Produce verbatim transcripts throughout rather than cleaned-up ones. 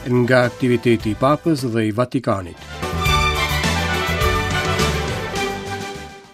Nga aktiviteti i Papës dhe i Vatikanit.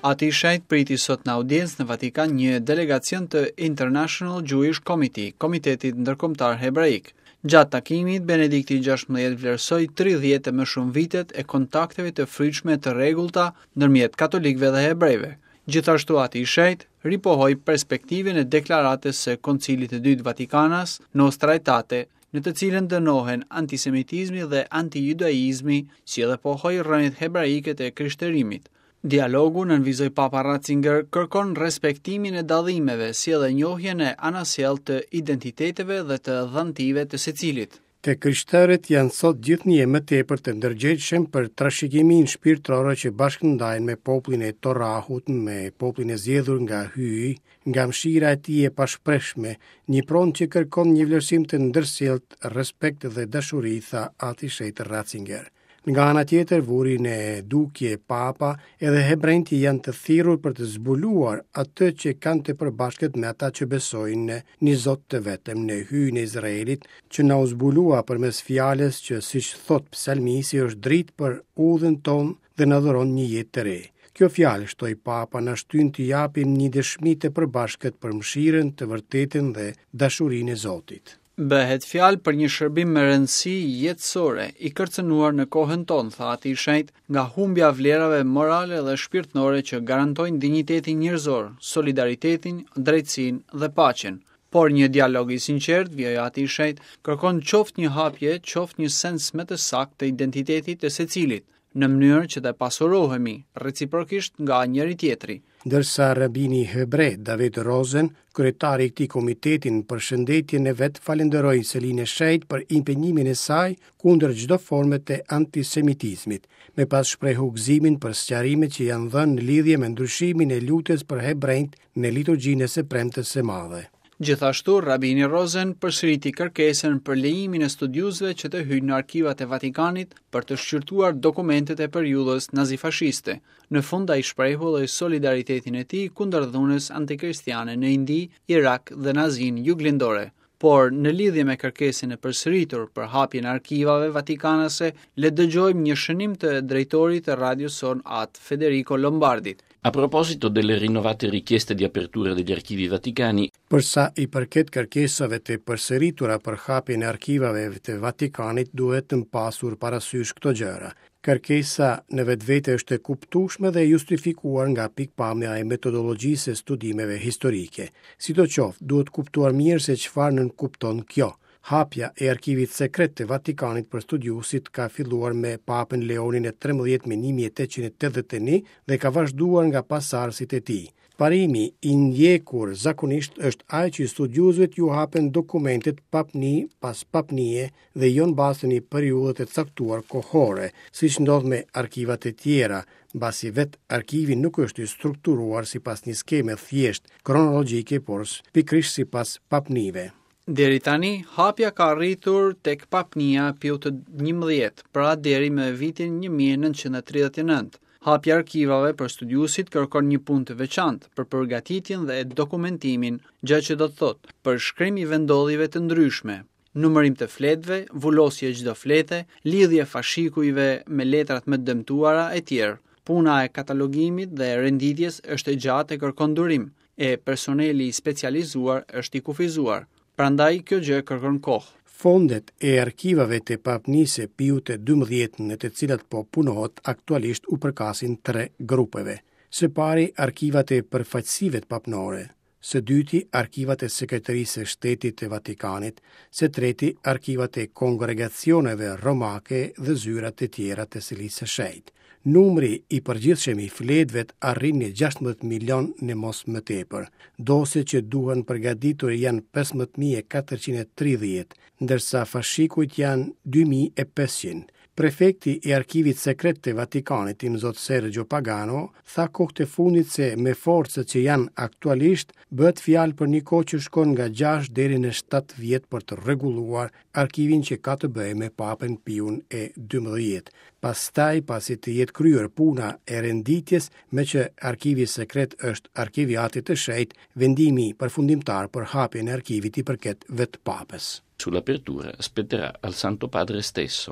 Ati i Shenjtë priti sot në audiencë në Vatikan një delegacion të International Jewish Committee, Komitetit Ndërkombëtar Hebraik. Gjatë takimit, Benedikti gjashtëmbëdhjetë vlerësoi tridhjetë e më shumë vitet e kontakteve të frytshme të rregullta ndërmjet katolikëve dhe hebrejve. Gjithashtu Ati i Shenjtë ripohoi perspektivën e deklaratës së Koncilit të Dytë Vatikanas Nostra Aetate, në të cilën dënohen antisemitizmi dhe antijudaizmi, si edhe pohoi rrënjët hebraike të krishterimit. Dialogu, nënvizoi Papa Ratzinger, kërkon respektimin e dallimeve, si edhe njohjen e anasjellë të identiteteve dhe të dhantive të secilit. Të krishterët janë sot gjithnjë më tepër të ndërgjegjshëm për trashëgiminë shpirtërore që bashkëndajnë me popullin e Torahut, me popullin e zgjedhur nga Hyji, nga mëshira e tij e pashprehshme, një pronë që kërkon një vlerësim të ndërsjelltë, respekt dhe dashuri, tha Ati Shenjtë Ratzinger. Nga ana tjetër, vuri në dukje Papa, edhe hebrejtë janë të thirrur për të zbuluar atë që kanë të përbashkët me ata që besojnë në një Zot të vetëm, në Hyjin e Izraelit, që na u zbulua përmes fjalës që, siç thot psalmisti, është dritë për udhën tonë dhe na dhuron një jetë të re. Kjo fjalë, shtoi Papa, na shtyn të japim një dëshmi të përbashkët për mëshirën, të vërtetën dhe dashurinë e Zotit. Bëhet fjalë për një shërbim me rëndësi jetësore, i kërcënuar në kohën tonë, tha Ati i Shenjtë, nga humbja e vlerave morale dhe shpirtërore që garantojnë dinjitetin njerëzor, solidaritetin, drejtësinë dhe paqen. Por një dialog i sinqert, vijoi Ati i Shenjtë, kërkon qoftë një hapje, qoftë një sens më të saktë të identitetit të secilit, në mënyrë që të pasurohemi reciprokisht nga njëri tjetri. Ndërsa rabini hebre David Rosen, kryetari i këtij komiteti në përshëndetjen e vet, falenderoi Selinë e Shenjtë për impenjimin e saj kundër çdo forme të antisemitizmit. Me pas shprehu gëzimin për sqarimet që janë dhënë në lidhje me ndryshimin e lutjes për hebrejt në liturgjinë e së premtes së madhe. Gjithashtu, Rabini Rosen përsëriti kërkesën për lejimin e studiuesve që të hyjnë në arkivat e Vatikanit për të shqyrtuar dokumentet e periudhës nazifashiste. Në fund ai shprehu edhe solidaritetin e tij kundër dhunës antikristiane në Indi, Irak dhe në Azinë juglindore. Por në lidhje me kërkesën e përsëritur për hapjen e arkivave vatikanase, le të dëgjojmë një shënim të drejtorit të radios sonë At Federico Lombardit. A proposito delle rinnovate richieste di apertura degli archivi vaticani, Për sa i përket kërkesave të përsëritura për hapjen e arkivave të Vatikanit, duhet të pasur parasysh këto gjëra. Kërkesa në vetvete është e kuptueshme dhe e justifikuar nga pikpamja e metodologjisë së studimeve historike. Sidoqoftë, duhet kuptuar mirë se çfarë nënkupton kjo. Hapja e arkivit sekret të Vatikanit për studiuesit ka filluar me Papën Leonin e trembëdhjetë më një mijë e tetëqind e tetëdhjetë e një dhe ka vazhduar nga pasardhësit e tij. Parimi i ndjekur zakonisht është ai që studiuesve ju hapen dokumentet papni pas papnie dhe jo në bazë të një periudhe të caktuar kohore, siç ndodh me arkivat e tjera, mbasi vetë arkivi nuk është i strukturuar sipas një skeme thjesht kronologjike, por pikërisht sipas papnive. Deri tani, hapja ka arritur tek papnia Piu të njëmbëdhjetë, pra deri më vitin një mijë e nëntëqind e tridhjetë e nëntë. Hapja e arkivave për studiuesit kërkon një punë të veçantë për përgatitjen dhe dokumentimin, gjë që do të thotë përshkrim i vendodhjeve të ndryshme, numërim të fletëve, vulosje e çdo flete, lidhje fashikujve me letrat më të dëmtuara e tjerë. Puna e katalogimit dhe renditjes është e gjatë e kërkon durim, e personeli i specializuar është i kufizuar. Prandaj kjo gjë kërkon kohë. Fondet e arkivave të papnisë Piu të dymbëdhjetë në të cilat po punohet aktualisht u përkasin tre grupeve. Së pari, arkivat e përfaqësive papnore, së dyti, arkivat e Sekretarisë së Shtetit të Vatikanit, së treti, arkivat e kongregacioneve romake dhe zyrat e tjera të Selisë së Shenjtë. Numri i përgjithshëm i fletëve arrin në gjashtëmbëdhjetë milion në mos më tepër. Dosjet që duhen përgatitur janë pesëmbëdhjetë mijë e katërqind e tridhjetë, ndërsa fashikujt janë dy mijë e pesëqind. Prefekti i Arkivit Sekret të Vatikanit, Imzot Sergio Pagano, tha kohët e fundit se me forcët që janë aktualisht, bëhet fjalë për një kohë që shkon nga gjashtë deri në shtatë vjet për të rregulluar arkivin që ka të bëjë me Papën Piun e dymbëdhjetë. Pastaj, pasi të jetë kryer puna e renditjes, me që arkivi sekret është arkivi i Atit të Shenjtë, vendimi përfundimtar për hapjen e arkivit i përket vetë Papës. Sull'apertura spetterà al Santo Padre stesso.